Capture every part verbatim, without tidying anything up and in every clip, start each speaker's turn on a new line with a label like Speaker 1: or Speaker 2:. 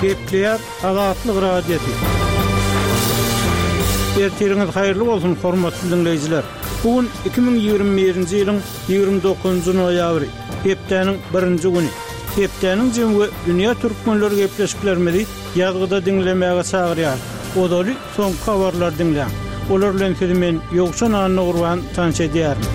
Speaker 1: Gepleýär Azatlyk Radiosy. Ertiriňiz haýyrly bolsun, hormatly diňleýjiler. Bu gün iki müň ýigrimi birinji ýylyň ýigrimi dokuzynjy noýabry, hepdäniň birinji güni. Hepdäniň jemi we dünýä türkmenleri gepleşiklerimizi ýazgyda diňlemäge çagyrýar. Ozaly soňky habarlary diňläň. Olar bilen sizi men Ýowşan Annagurban tanyş edýärin.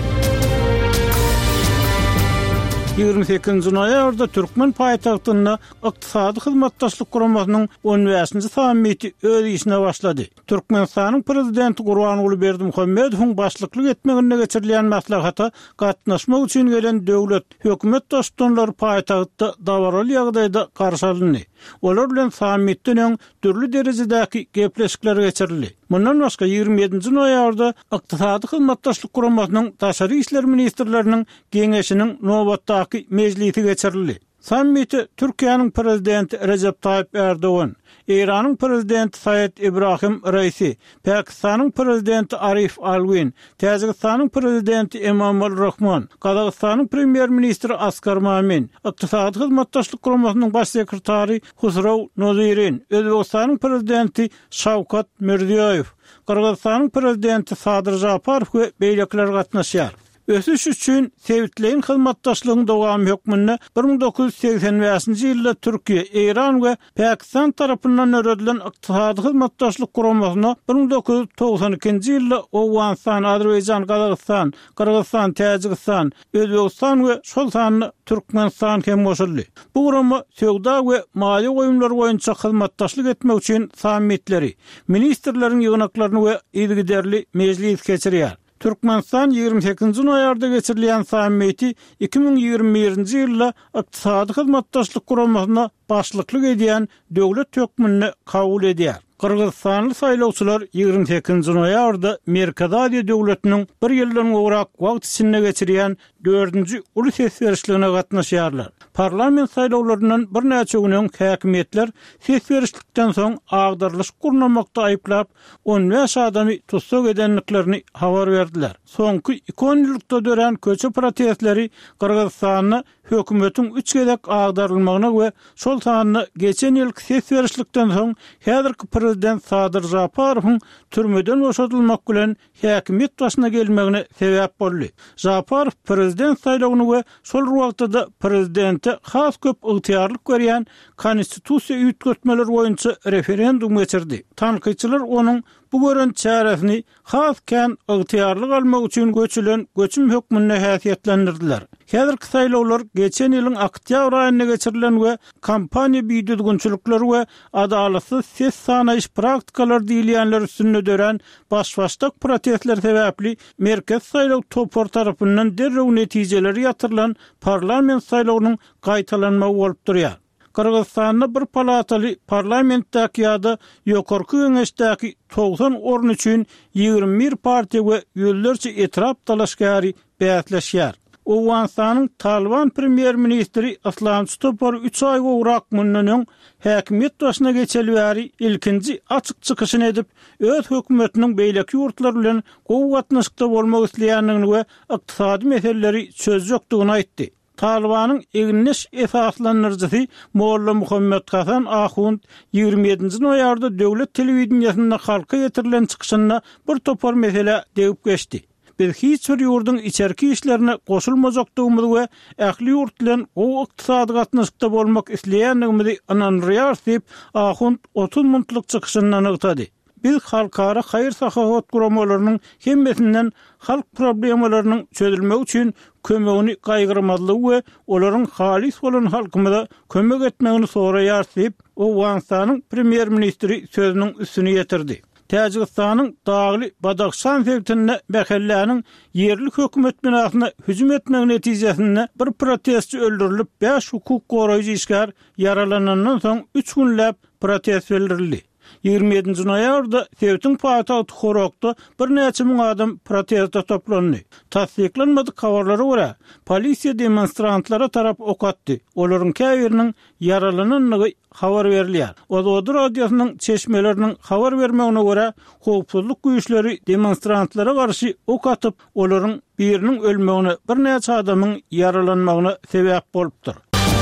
Speaker 1: Ýigrimi sekizinji noýabrda türkmen paýtagtynda Ykdysady Hyzmatdaşlyk Guramasynyň on bäşinji sammiti öz işine başlady. Türkmenistanyň Prezidenti Gurbanguly Berdimuhamedowyň başlyklyk etmeginde geçirilýän maslahata gatnaşmak üçin gelen döwlet, hökümet baştutanlary paýtagtda dabaraly ýagdaýda garşy alyndy. Olar bilen sammitden öň dürli derejedäki gepleşikler geçirildi. Mundan başga, ýigrimi ýedinji noýabrda Ykdysady Hyzmatdaşlyk Guramasynyň Daşary işler ministrleriniň Geňeşiniň nobatdaky mejlisi geçirildi. Sammite Türkiýäniň Prezidenti Rejep Taýyp Ärdogan, Eýranyň Prezidenti Saýed Ibrahim Raisi, Pakistanyň Prezidenti Arif Alwin, Täjigistanyň Prezidenti Emomali Rahmon, Gazagystanyň Premýer-ministri Askar Mamin, Ykdysady Hyzmatdaşlyk Guramasynyň Baş sekretary Husrow Nozirin, Özbegistanyň Prezidenti Şawkat Mirziýoýew, Gyrgyzystanyň Prezidenti Sadyr Žaparow we beýlekiler gatnaşýar. Ösüş üçin sebitleýin hyzmatdaşlygyň dowamy hökmünde bir müň dokuz ýüz segsen bäşinji ýylda Türkiýe, Eýran we Pakistan tarapyndan döredilen Ykdysady Hyzmatdaşlyk Guramasyna bir müň dokuz ýüz togsan ikinji ýylda Owganystan, Azerbaýjan, Gazagystan, Gyrgyzystan, Täjigistan, Özbegistan we şol sanda Türkmenistan hem goşuldy. Bu gurama söwda we maýa goýumlary boýunça hyzmatdaşlyk etmek üçin sammitleri, ministrleriň ýygnaklaryny we yzygiderli mejlis geçirýär. Türkmenistan ýigrimi sekizinji noýabrda geçirilýän sammiti iki müň ýigrimi birinji ýylda Ykdysady Hyzmatdaşlyk Guramasyna başlyklyk edýän döwlet hökmünde kabul edýär. Gyrgyzystanly saýlawçylar ýigrimi sekizinji noýabrda Merkezi Aziýa döwletiniň bir ýyldan gowrak wagt içinde geçirýän dördünji uly ses berişligine gatnaşýarlar. Parlament saýlawlaryndan birnäçe gün öň häkimiýetler ses berişlikden soň agdarylyşyk gurnamakda aýyplap, on bäş adamy tussag edendiklerini habar berdiler. Soňky iki onýyllykda dörän köçe protestleri Gyrgyzystanda hökümetiň üç gezek agdarylmagyna we şol sanda geçen ýylky ses berişlikden soň häzirki prezident Sadyr Žaparowyň türmeden boşadylmak bilen häkimiýet başyna gelmegine sebäp boldy. Žaparow prezident saýlawyny we şol bir wagtda-da prezidente has köp ygtyýarlyk berýän konstitusiýa üýtgetmeleri boýunça referendum geçirdi. Tankytçylar onuň bu gören çäresini has kän ygtyýarlyk almak üçin göçülen göçüm hökmünde häsiýetlendirdiler. Häzirki saýlawlar geçen ýylyň oktýabr aýynda geçirilen we kampaniýa bidüzgünçilikleri we adalatsyz ses sanaýyş praktikalary diýilýänler üstünde dörän baş-başdak protestler sebäpli Merkezi saýlaw topary tarapyndan derrew netijeleri ýatyrylan parlament saýlawynyň gaýtalanmagy bolup durýar. Gyrgyzystanda bir palataly parlamentdäki ýa-da Ýokarky Geňeşdäki togsan orun üçin ýigrimi bir partiýa we ýüzlerçe etrap dalaşgäri bäsleşýär. Owganystanyň Talyban premýer-ministri yslamçy topary üç aý gowrak mundan öň häkimiýet başyna geçeli bäri ilkinji açyk çykyşyny edip, öz hökümetiniň beýleki ýurtlar bilen gowy gatnaşykda bolmak isleýändigini we ykdysady meseleleri çözjekdigini aýtdy. Talybanyň egindeş esaslandyryjysy Molla Muhammet Hasan Ahund ýigrimi ýedinji noýabrda döwlet telewideniýesinde halka ýetirilen çykyşynda bir topar meselä degip geçdi. Biz hiç bir ýurduň içerki işlerine goşulmajakdygymyzy we ähli ýurt bilen gowy ykdysady gatnaşykda bolmak isleýändigimizi ynandyrýarys diýip, Ahund otuz minutlyk çykyşynda nygtady. Biz halkara haýyr-sahawat guramalarynyň hemmesinden halk problemalarynyň çözülmegi üçin kömegini gaýgyrmazlygy we olaryň halys bolan halkymyza kömek etmegini soraýarys diýip, Owganystanyň premýer-ministri sözüniň üstüni ýetirdi. Täjigistanyň dagly Badahşan sebitinde mähelläniň ýerli hökümet binasyna hüjüm etmegi netijesinde bir protestçi öldürilip, bäş hukuk goraýjy işgär ýaralanandan soň üç günläp protest bildirildi. Ýigrimi ýedinji noýabrda sebitiň paýtagty Horokda birnäçe müň adam proteste toplandy. Tassyklanmadyk habarlara görä, polisiýa demonstrantlara tarap ok atdy, olaryň käbiriniň ýaralanandygy habar berilýär. Ozody radiosynyň çeşmeleriniň habar bermegine görä, howpsuzlyk güýçleri demonstrantlara garşy ok atyp, olaryň biriniň ölmegine, birnäçe adamyň ýaralanmagyna sebäp bolupdyr.